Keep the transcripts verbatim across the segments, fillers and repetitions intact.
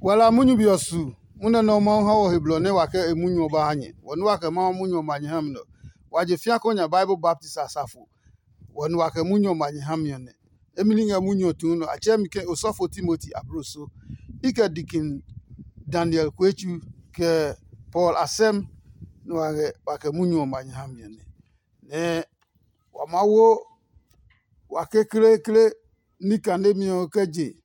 Wa la munyu be ɔ su, munyu nɛ Mawu ha wɔ he blɔ nɛ wa kɛ e munyu ɔ ba ha nyɛ. Wɔ nɛ wa kɛ Mawu munyu ɔ ma nyɛ ha mi nɛ ɔ, wa je fĩa kó nya Bible baptisi asafo. Wɔ nɛ wa kɛ munyu ɔ ma nyɛ ha mi ɔ nɛ. Emli ngɛ munyu ɔ tuu nɔ, a tsɛɛ mi ke osɔfo Timoti abloso. I kɛ dikin Daniel Kuetsu, kɛ Paul Asɛm nɛ wa ngɛ wa kɛ munyu ɔ ma nyɛ ha mi ɔ nɛ. Nɛ wa maa wo wa kekleekle ní kanemi ɔ kɛ je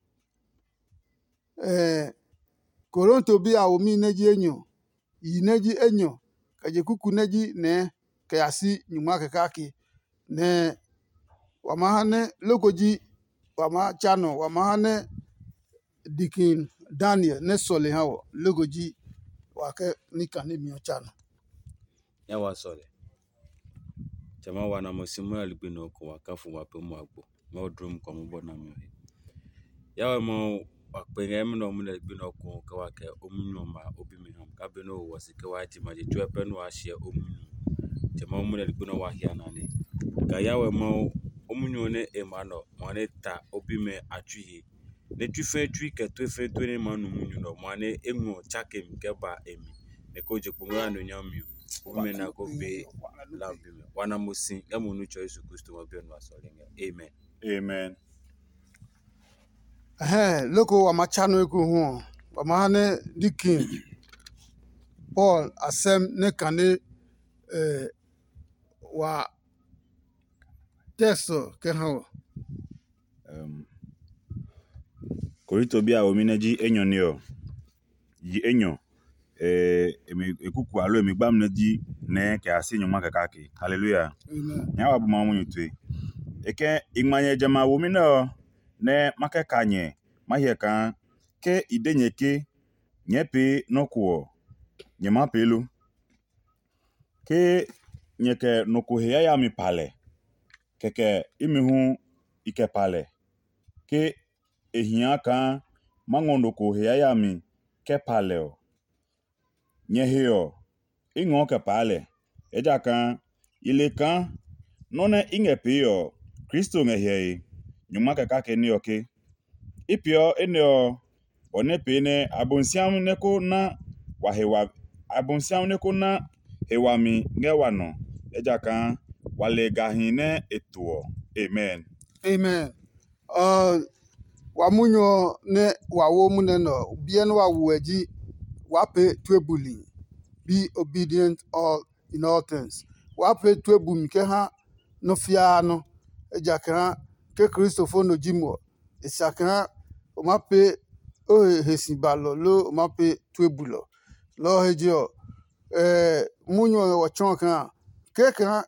Korinto bi a womi nɛ ji enyɔ, yi nɛ ji enyɔ, kɛ je kuku nɛ ji nɛɛ kɛ ya si nyungma kɛ kake. Nɛ wa maa ha nɛ loko ji wa maa tsa nɔ, wa maa ha nɛ dikin Daniel nɛ sɔle ha wɔ, loko ji wa kɛ ní kanemi ɔ tsa nɔ. Nya wa sɔle. Tsɛ ma wa na mo si mo ya ligbi nɔ ko wa ka fu wa pe mo agbo. Mo drum ko mo bɔ na mi he. Ya wa mo wa pe ngɛ mo no mo na ligbi nɔ ko ka wa kɛ o mu nyu ma o bi mi ham. Ka be no wa si ke wa ti ma je tue pe no wa shie o mu nyu. Tsɛ ma mo na ligbi nɔ wa hia na ne. Ka ya wa mo o mu nyu ne e ma nɔ mo ne ta o bi mi a tui he. Nɛ tsui fɛɛ tsui kɛ tue fɛɛ tue nɛ ma nu munyu nɛ ɔ, ma nɛ eŋɔ tsake mi kɛ ba e mi, nɛ ko je kpo ngɛ ya nɔ nyami ɔ, o bi mɛ na ko be lambi mɛ. Wa na mo si ngɛ mo nu tsɔ Yesu Kristo ma bi ɔ nu asɔle ngɛ. Amen. Amen. Ɛhɛɛ, loko wa ma tsa nɔ eko hu ɔ, wa ma ha nɛ dikin Paul asɛm nɛ kane eh, wa text ɔ kɛ ha wɔ. Korinto bi a womi nɛ ji enyɔ ne ɔ, yi enyɔ, e kuku alo e mi gbami nɛ ji nɛɛ kɛ ya si nyɔngma kɛ kake. Haleluya! Nyɛɛ wa bu Mawu munyu tue. E kɛ i ngma nyɛ jamɛ a womi nɛ ɔ nɛ ma kɛ ka nyɛ ma hyɛ kaa ke i de nyɛ ke nyɛɛ pee nɔ́ ko ɔ, nyɛ maa pee lo? Ke nyɛ kɛ nɔ ko he yayami pa lɛ, kɛkɛ imi hu i kɛ pa lɛ. Ke e hia kaa ma ngɔ nɔ ko he yayami kɛ pa lɛ ɔ, nyɛ he ɔ, i ngɔɔ kɛ paa lɛ, ejakaa i le kaa nɔ́ nɛ i ngɛ pee ɔ, Kristo ngɛ hyɛe. Nyɔngma kɛ kake ní ɔ ke, i peeɔ enɛ ɔ, bɔ nɛ pee nɛ Abosiami nɛ ko na wa he wa Abosiami nɛ ko na he wami ngɛ wa nɔ, ejakaa wa le gahi nɛ e to ɔ. Amen. Amen. Ɔ, wa munyu ɔ nɛ wa wo munɛ nɛ ɔ, biɛ nɛ wa wo ɛ ji waa pee tue buli. Be obedient all in all things. Waa pee tue bumi kɛ ha nɔ́ fiaa nɔ́. Ejakaa ke Kristo fo nɔ ji mo ɔ, e sa kaa o maa pee o he he si balɔ loo o maa pee tue bulɔ. Lɔ ɔ he je ɔ, munyu ɔ ngɛ wɔ tsɔɔ kaa kɛkaa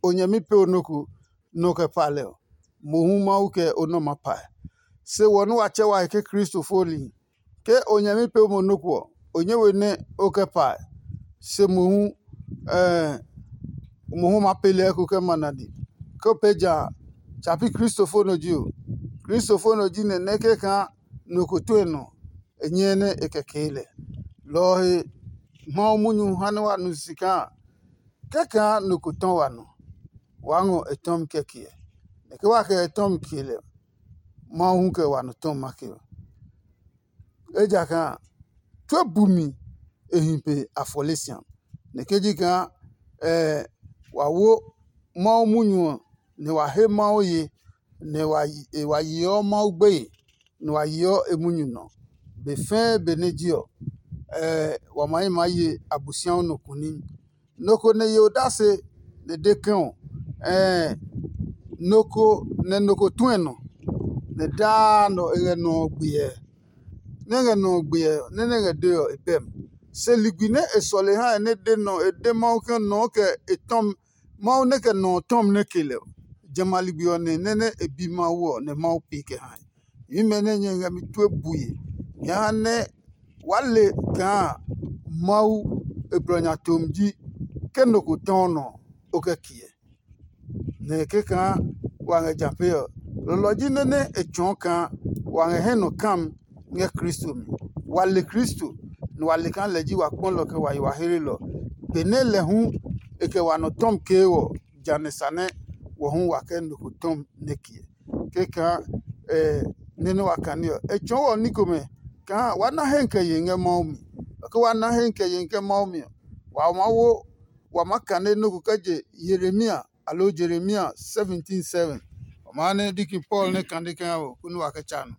o nyɛmi pee o nɔ ko nɔ kɛ pa lɛ ɔ, mohu Mawu kɛ o nɔ maa pae. Se wɔ nɛ wa tsɛ wa he ke Kristo fo nihi, ke o nyɛmi pee mo nɔ ko ɔ, o nyɛ we nɛ o kɛ pae. Se mohu mohu maa pee lɛ eko kɛ ma nadi. Ke o pee ja a, tsa pi Kristo fo nɔ ji o. Kristo fo nɔ ji nɛ nɛ kɛkaa nɔ ko tue nɔ, e nyɛɛ nɛ e kɛ kee lɛ. Lɔ ɔ he Mawu munyu ha nɛ wa nu si kaa kɛkaa nɔ ko tɔ wa nɔ, waa ngɔ e tɔmi kɛkɛ ɛ. Nɛ ke wa kɛ e tɔmi kee lɛ, Mawu hu kɛ wa nɔ tɔmi ma ke ɔ. Ejakaa tue bumi e hi pe afɔle siam. Nɛ ke ji kaa wa wo Mawu munyu ɔ, nɛ wa he Mawu ye, nɛ wa yeɔ Mawu gbeye, nɛ wa yeɔ e munyu nɔ. Be fɛɛ benɛ je ɔ, wa ma hi maa ye Abosiami nɔ kuni. Nɔ ko nɛ ye odase nɛ de ke ɔ, ɛɛ nɔ ko nɛ nɔ ko tuɛ nɔ, nɛ daa nɔ e ngɛ nɔ ɔ gbiɛ. Nɛ e ngɛ nɔ ɔ gbiɛ nɛ nɛ e ngɛ dee ɔ e bɛ mi. Se ligbi nɛ e sɔle ha e nɛ de nɔ e de Mawu ke nɔ ɔ kɛ e tɔmi Mawu nɛ kɛ nɔ ɔ tɔmi nɛ ke lɛ ɔ, jamɛ a ligbi ɔ nɛ nɛ nɛ e bi Mawu ɔ nɛ Mawu pee kɛ hae. Nyɛmimɛ nɛ nyɛ ngɛ mi tue bue, nyɛ ha nɛ waa le kaa Mawu e blɔ nya tomi ji ke nɔ ko tɔɔ nɔ ɔ, o kɛ kiɛ. Nɛ kɛkaa wa ngɛ ja pee ɔ, lɔlɔ ji nɔ́ nɛ e tsɔɔ kaa wa ngɛ hɛ nɔ kam ngɛ Kristo mi. Wa le Kristo, nɛ wa le kaa lɛ ji wa kpɔlɔ kɛ wa yi wa heelɔ. Benɛ lɛ hu e kɛ wa nɔ tɔmi kee ɔ, ja nɛ sa nɛ wɔ hu wa kɛ nɔ ko tɔmi nɛ kiɛ. Kɛkaa nɛ nɛ wa kane ɔ, e tsɔɔ wɔ ní komɛ kaa wa na hɛ kɛ ye ngɛ Mawu mi. Ke wa na hɛ kɛ ye ngɛ Mawu mi ɔ, wa maa wo wa maa kane nɔ́ ko kɛ je Yeremia aloo Jeremia seventeen seven. Wa maa nɛ diki Paul nɛ kane kɛ ha wɔ konɛ wa kɛ tsa nɔ.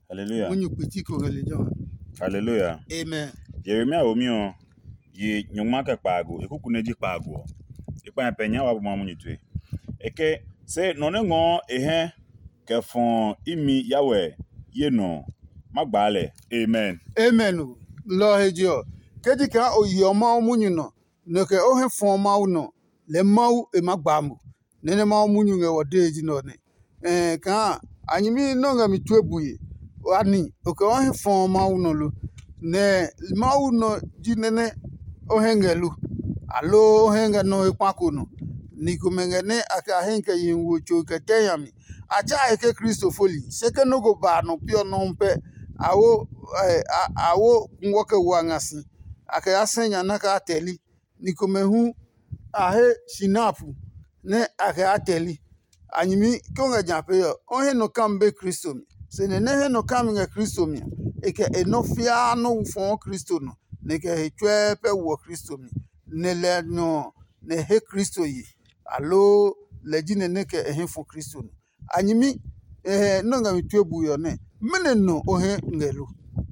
Hallelujah. Munyu kpiti ko ngɛ lejɛ ɔ. Hallelujah. Amen. Yeremia womi ɔ, yi nyɔngma kɛ kpaago, e kuku nɛ ji kpaago ɔ. E kpa nyɛ pɛ nya wa bu ma munyu tue. E ke, se nɔ nɛ ngɔɔ e hɛ kɛ fɔɔ imi Yahweh ye nɔ ɔ, ma gbaa lɛ. Amen. Amen o. Lɔ ɔ he je ɔ, ke ji kaa o yeɔ Mawu munyu nɔ, nɔ kɛ o hɛ fɔɔ Mawu nɔ, lɛɛ Mawu e maa gbaa mo. Nɛ nɛ Mawu munyu ngɛ wɔ dee ji nɛ ɔ nɛ. Ɛɛ kaa a nyɛmi nɛ o ngɛ mi tue bue, ani o kɛ o hɛ fɔɔ Mawu nɔ lo? Nɛ Mawu nɔ ji nɛ nɛ o hɛ ngɛ lo? Aloo o hɛ ngɛ nɔ he kpa ko nɔ? Ni komɛ ngɛ nɛ a kɛ a hɛ kɛ yihi wo tso kɛ tɛ nya mi. A tsa he ke Kristo foli, se ke nɔ́ ko ba a nɔ pi ɔ nɔuu pɛ, a wo a wo kungwɔ kɛ wo a nga si, a kɛ ya sɛ nya nɛ a kɛ ya tɛ li. Ni komɛ hu a he sinapu nɛ a kɛ ya tɛ li. A nyɛmi ke o ngɛ ja pee ɔ, o he nɔ kami be Kristo mi. Se nɛ nɛ he nɔ kami ngɛ Kristo mi ɔ, e kɛ e nɔ́ fiaa nɔ́ fɔɔ Kristo nɔ, nɛ e kɛ he tsuɛɛ pɛ woɔ Kristo mi, nɛ lɛ nɔ ɔ, nɛ e he Kristo ye, aloo lɛ ji nɛ nɛ kɛ e hɛ fɔ Kristo nɔ. A nyɛmi nɔ́ ngɛ mi tue bue ɔ nɛ, mɛnɔ nɔ o hɛ ngɛ lo?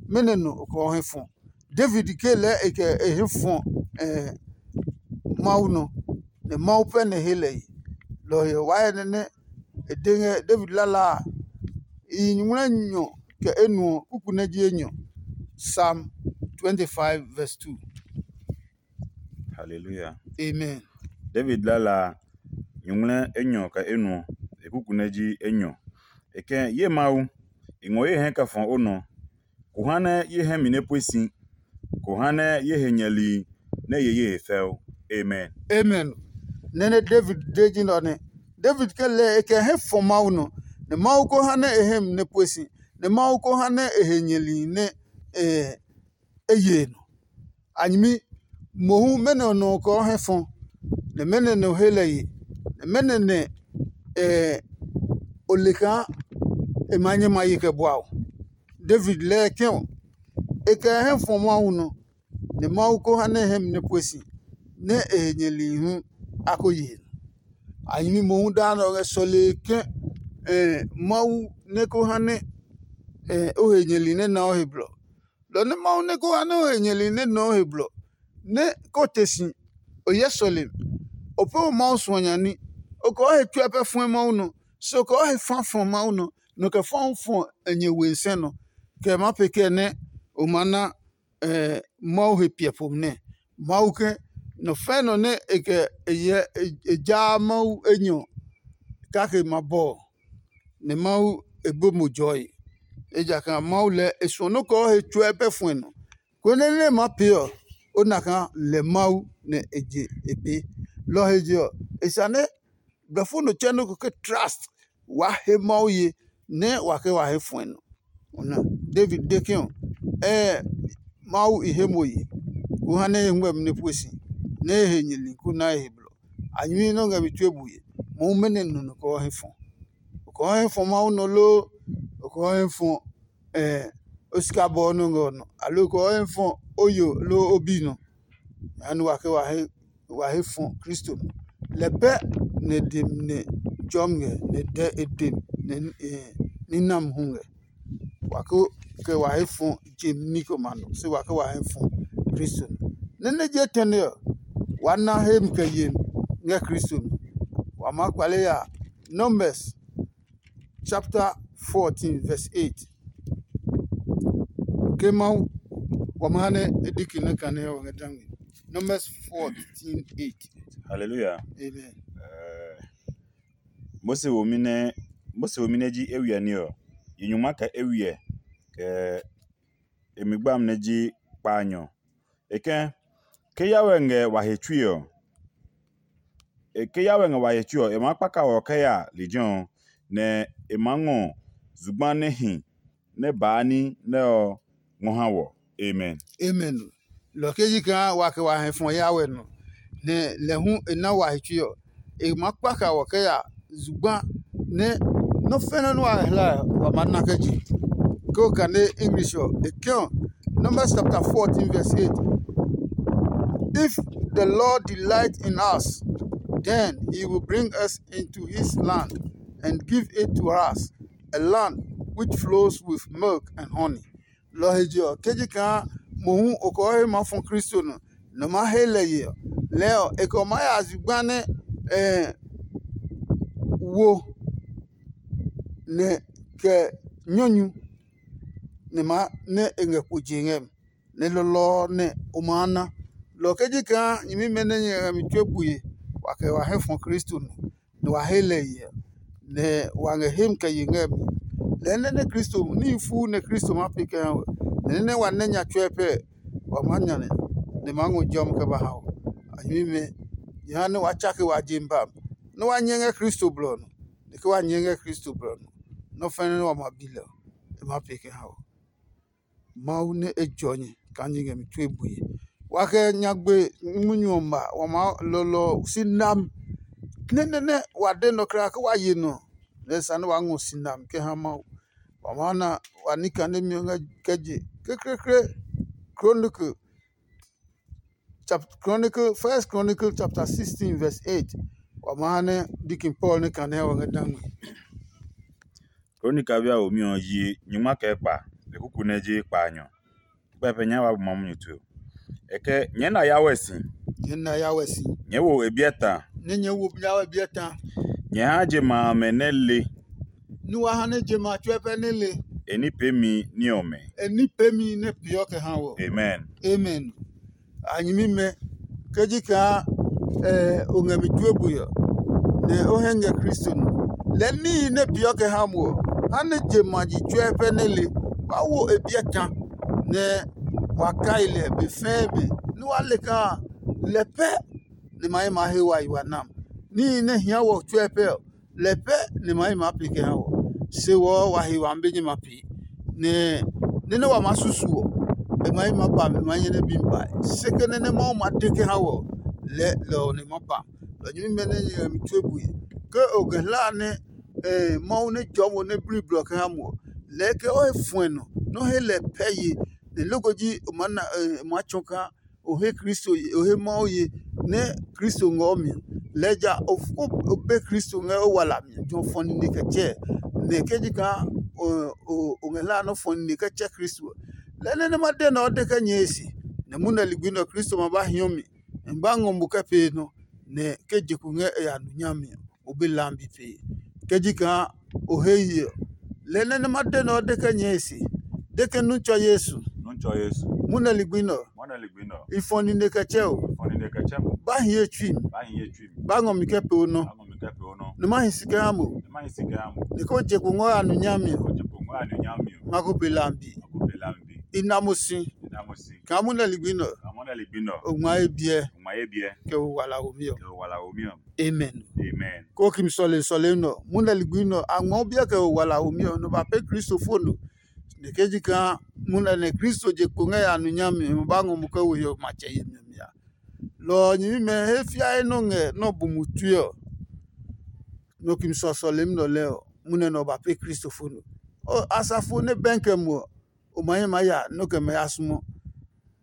Mɛnɔ nɔ o kɛ o hɛ fɔ? David ke lɛɛ e kɛ e hɛ fɔ Mawu nɔ, nɛ Mawu pɛ nɛ he lɛ yi. Lɔ ɔ he ɔ, waa hyɛ nɛ nɛ e de ngɛ David lala a, i yi nyumu nɛ nyɔ kɛ enuɔ kuku nɛ ji enyɔ. Psalm twenty-five verse two. Hallelujah. Amen. David lala a, nyumu nɛ enyɔ kɛ enuɔ, e kuku nɛ ji enyɔ. E kɛ ye Mawu, i ngɔ ye hɛ kɛ fɔ o nɔ. Ko ha nɛ ye hɛ mi nɛ pue si, ko ha nɛ ye he nyɛli nɛ ye ye he fɛo. Amen. Amen. Nɛ nɛ David de ji nɛ ɔ nɛ. David ke lɛɛ e kɛ hɛ fɔ Mawu nɔ, nɛ Mawu ko ha nɛ e hɛ mi nɛ pue si, nɛ Mawu ko ha nɛ e he nyɛli nɛ e ye nɔ. A nyɛmi mohu mɛnɔ nɔ ɔ kɛ o hɛ fɔ, nɛ mɛnɔ nɛ o he lɛ ye, nɛ mɛnɔ nɛ o le kaa e maa nyɛ ma ye kɛ bua o? David lɛɛ kɛ̃ ɔ, e kɛ hɛ fɔ Mawu nɔ, nɛ Mawu ko ha nɛ e hɛ mi nɛ pue si, nɛ e he nyɛlihi hu a ko ye nɔ. A nyɛmi mohu daa nɛ o ngɛ sɔlee ke Mawu nɛ ko ha nɛ o he nyɛli nɛ na o he blɔ. Lɔ nɛ Mawu nɛ ko ha nɛ o he nyɛli nɛ nɔɔ he blɔ, nɛ ko te si, o hyɛ sɔlemi, o pɛ o Mawu suɔ nya ní, o kɛ o he tsuɛ pɛ fɔɛ Mawu nɔ, se o kɛ o he fa fɔ Mawu nɔ, nɔ kɛ fɔ hu fɔ e nyɛ we sɛ nɔ, kɛ ma pee kɛ nɛ o ma na Mawu he piɛ po nɛ. Mawu ke nɔ fɛ̃ nɔ nɛ e kɛ e hyɛ e jaa Mawu enyɔ kake ma bɔ ɔ, nɛ Mawu e bo mo jɔe. Ejakaa Mawu lɛɛ e suɔ nɔ́ kɔɔ he tsuɛ pɛ fuɛ nɔ, konɛ nɛ e maa pee ɔ, o na kaa lɛ Mawu nɛ e je e pee. Lɔ ɔ he je ɔ, e sa nɛ blɔfo nɔ tsɛ nɔ́ ko ke trust waa he Mawu ye nɛ wa ke wa he fuɛ nɔ. Ona, David de ke ɔ, ɛɛ Mawu i he mo ye, ko ha nɛ e ngmɛmi nɛ pue si, nɛ e he nyɛli ko na e he blɔ. A nyɛmi nɛ o ngɛ mi tue bue, mohu mɛnɔ nɔ nɔ kɔɔ he fɔ? O kɔɔ he fɔ Mawu nɔ loo o kɔɔ he fɔ o sikabɔ ɔ nɔ ngɛ ɔ nɔ, aloo o kɔɔ he fɔ o yo loo o bi nɔ? Jehanɛ wa ke wa he fɔ Kristo nɔ. Lɛ pɛ nɛ e dem nɛ tsɔɔmi ngɛ, nɛ e dɛ e dem nɛ ní nami hu ngɛ. Wa ko kɛ wa he fɔ je ní komɛ a nɔ, se wa ke wa he fɔ Kristo nɔ. Nɛ nɛ je tɛne ɔ, wa na hemi kɛ yemi ngɛ Kristo mi. Wa maa kpale ya Numbers chapter fourteen verse eight. Ke Mawu wa ma ha nɛ e diki nɛ kane ɔ ngɛ dangmi. Numbers fourteen eight. Hallelujah. Amen. Mose womi nɛ Mose womi nɛ ji ewiɛ ní ɔ, yi nyuma kɛ ewiɛ kɛ e mi gbami nɛ ji kpaanyɔ. E kɛ̃, ke Yahweh ngɛ wa he tsui ɔ, ke Yahweh ngɛ wa he tsui ɔ, e maa kpaka wɔ kɛ ya lejɛ ɔ, nɛ e maa ngɔ zugba nɛ hi nɛ baa ní nɛ ɔ ngɔ ha wɔ. Amen. Amen. Lɔ ke ji kaa wa kɛ wa hɛ fɔ Yahweh nɔ, nɛ lɛ hu e na wa he tsui ɔ, e maa kpaka wɔ kɛ ya zugba nɛ nɔ́ fɛnɛ nɛ wa hla ɔ, wa maa na kɛ je. ke o kane English ɔ, e ke ɔ, Numbers chapter fourteen verse eight. If the Lord delight in us, then he will bring us into his land and give it to us, a land which flows with milk and honey. Lɔ ɔ he je ɔ, ke ji kaa mohu o kɔɔ he maa fɔ Kristo nɔ, nɔ maa he lɛ ye ɔ, lɛɛ ɔ, e kɛ o maa ya zugba nɛ eh, wo nɛ kɛ nyɔnyu nɛ maa nɛ e ngɛ kpo je ngɛ mi, nɛ lɔlɔ ɔ nɛ o maa na. Lɔ ɔ ke ji kaa nyɛmimɛ nɛ nyɛ ngɛ mi tue bue, wa kɛ wa hɛ fɔ Kristo nɔ, nɛ wa he lɛ hyɛ, nɛ wa ngɛ hemi kɛ ye ngɛ mi. Lɛɛ nɛ nɛ Kristo níhi fuu nɛ Kristo maa pee kɛ ha we, nɛ nɛ wa nɛ nya tsuɛ pɛ, wa maa nya nɛ, nɛ maa ngɔ jɔmi kɛ ba ha o. A nyɛmimɛ, nyɛ ha nɛ wa tsake wa je mi ba mi, nɛ wa nyɛ ngɛ Kristo blɔ ɔ nɔ. Nɛ ke wa nyɛ ngɛ Kristo blɔ ɔ nɔ, nɔ́ fɛ́nɛ nɛ wa ma bi lɛ ɔ, e maa pee kɛ ha o. Mawu nɛ e jɔ nyɛ kaa nyɛ ngɛ mi tue bue. Wa kɛ nyagbe munyu ɔ ma, wa maa lɔlɔ si nam. Nɛ nɛ nɛ wa de nɔ kra ke wa ye nɔ, nɛ sa nɛ wa ngɔ si nam kɛ ha Mawu. Wa maa na wa ní kanemi ɔ ngɛ kɛ je kekleekle. Chronicle chapter Chronicle, First Chronicle chapter sixteen verse eight. Wa maa ha nɛ Deacon Paul nɛ kane ɔ ngɛ dangme. Kronika bi a womi ɔ yi nyingma kɛ kpa, e kuku nɛ ji kpaanyɔ. Kpɛpɛ nyɛ wa bu ma munyu tue. Kɛkɛ nyɛɛ na ya wɛ si. Nyɛ na ya wɛ si. Nyɛɛ wo e biɛ ta. Nɛ nyɛ wo ya wɛ biɛ ta. Nyɛ ha je ma amɛ nɛ le. Nu wa ha nɛ je ma tsuɛ pɛ nɛ le. E ní peemi ní ɔmɛ. E ní peemi nɛ peeɔ kɛ ha wɔ. Amen. Amen. A nyɛmimɛ, ke ji kaa eh, o ngɛ mi tue bue ɔ, nɛ o hɛ ngɛ Kristo nɔ. Lɛɛ níhi nɛ peeɔ kɛ ha mo ɔ, ha nɛ je ma ji tsuɛ pɛ nɛ le, wa wo e biɛ ta, nɛ wa kai lɛ be fɛɛ be, nɛ wa le kaa lɛ pɛ nɛ ma he ma he wa yi wa nam. Níhi nɛ hia wɔ tsuɛ pɛ ɔ, lɛ pɛ nɛ ma yi maa pee kɛ ha wɔ. Se wɔ wa he wa be nyɛ ma pee, nɛ nɛ nɛ wa maa susu ɔ, e ma yi ma ba mɛ ma nyɛ nɛ bi mi bae. Se ke nɛ nɛ Mawu ma de kɛ ha wɔ, lɛ lɛ ɔ nɛ ma ba. Lɔ nyɛmimɛ nɛ nyɛ ngɛ mi tue bue. Ke o ngɛ hla nɛ eh, Mawu nɛ jɔɔ mo nɛ bli blɔ kɛ ha mo ɔ, lɛɛ ke o he fuɛ nɔ nɛ o he lɛ pɛ ye, nɛ loko ji o maa na eh, o maa tsɔ kaa o he Kristo ye, o he Mawu ye, nɛ Kristo ngɔ mi. Lɛɛ ja o be Kristo ngɛ o wala mi jɔ fɔ nine kɛ tsɛ, nɛ ke ji kaa o ngɛ hlaa nɔ fɔ nine kɛ tsɛ Kristo ɔ, lɛɛ nɛ nɛ ma de nɛ o de kɛ nyɛɛ e se, nɛ munɛ ligbi nɛ Kristo ma ba hiɔ mi, nɛ ba ngɔ mo kɛ pee nɔ, nɛ ke je ko ngɛ e ya nu nyami ɔ, o be lambi pee. Ke ji kaa o he ye ɔ, lɛɛ nɛ nɛ ma de nɛ o de kɛ nyɛɛ e se, de ke nu tsɔ Yesu. Nu tsɔ Yesu. Munɛ ligbi nɛ ɔ, Mɔnɛ ligbi nɛ ɔ. I fɔ nine kɛ tsɛ o. Fɔ nine kɛ tsɛ mo. Ba hi ye tsui mi. Ba hi ye tsui mi. Ba ngɔ mi kɛ pee o nɔ. Ba ngɔ mi kɛ pee o nɔ. Nɛ ma hi si kɛ ha mo. Nɛ ma hi si kɛ ha mo. Nɛ ko je ko ngɔ ya nu nyami ɔ. Ko je ko ngɔ ya nu nyami ɔ. Ma ko pe lambi. Ma ko pe lambi. I na mo si. I na mo si. Kaa munɛ ligbi nɛ ɔ. Kaa munɛ ligbi nɛ ɔ. O ngma ye biɛ. O ngma ye biɛ. Kɛ o wala wo mi ɔ. Kɛ o wala wo mi ɔ. Amen. Amen. Ko kimi sɔle sɔle nɔ. Munɛ ligbi nɛ ɔ. A ngmɔ biɛ kɛ o wala wo mi ɔ. Nɔ ba pe Kristo fo no. Nɛ ke ji kaa munɛ nɛ Kristo je kpo ngɛ ya nu nyami ɔ ba ngɔ mo kɛ wo hiɔ matsɛ yemi ɔ mi a. Lɔ ɔ nyɛmimɛ he fiae nɔ ngɛ nɔ bu mu tue ɔ, nɔ kimi sɔsɔlemi nɔ lɛɛ ɔ, munɛ nɛ ɔ ba pe Kristo fo no. Asafo nɛ bɛnkɛ mo ɔ, o ma hɛ maa ya nɔ kɛ mɛ ya sumɔ.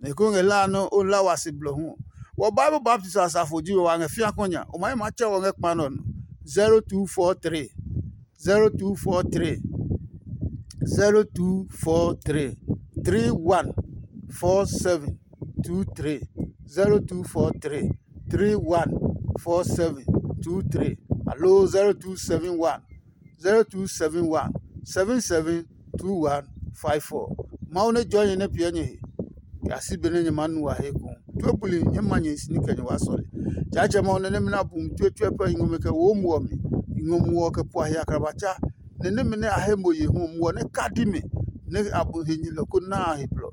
Nɛ ko ngɛ la nɔ o la wa se blɔ hu ɔ, wɔ Bible baptism asafo ji we wa ngɛ fia kɔ nya, o ma hɛ maa tsɛ wɔ ngɛ kpa nɔ nɔ. Zero two four three, zero two four three, zero two four three, three one four seven two three, zero two four three, three one four seven two three, aloo zero two seven one, zero two seven one, seven seven two one five four. Mawu nɛ jɔɔ nyɛ nɛ piɛ nyɛ he, kɛ a si benɛ nyɛ maa nu wa he eko. Tue buli nyɛ ma nyɛ hi si ní kɛ nyɛ waa sɔle. Tsaatsɛ Mawu nɛ nɛmɛ nɛ a bu mi tue tue pɛ i ngɔ mɛ kɛ wo muɔ mi, i ngɔ muɔ kɛ pua he akrabatsa, nɛ nɛmɛ nɛ a he mo ye hu muɔ nɛ kadi mɛ nɛ a bu he nyɛlɔ ko na a he blɔ.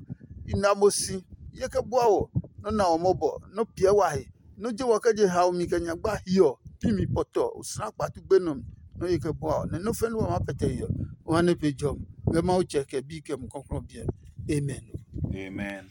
I na mo si, ye kɛ bua wɔ, nɔ́ na wɔ mɔbɔ, nɔ́ piɛ wa he, nɔ́ je wɔ kɛ je hao mi kɛ nyagba hiɔ, pi mi pɔtɔ, osla kpatu gbenɔ mi, nɔ́ ye kɛ bua wɔ, nɛ nɔ́ fɛ̃ nɛ wa maa pɛtɛ hiɔ, o ha nɛ pe jɔmi, ngɛ Mawu Tsɛ kɛ Bi kɛ Mumi Klɔuklɔu ɔ biɛ mi. Amen. Amen.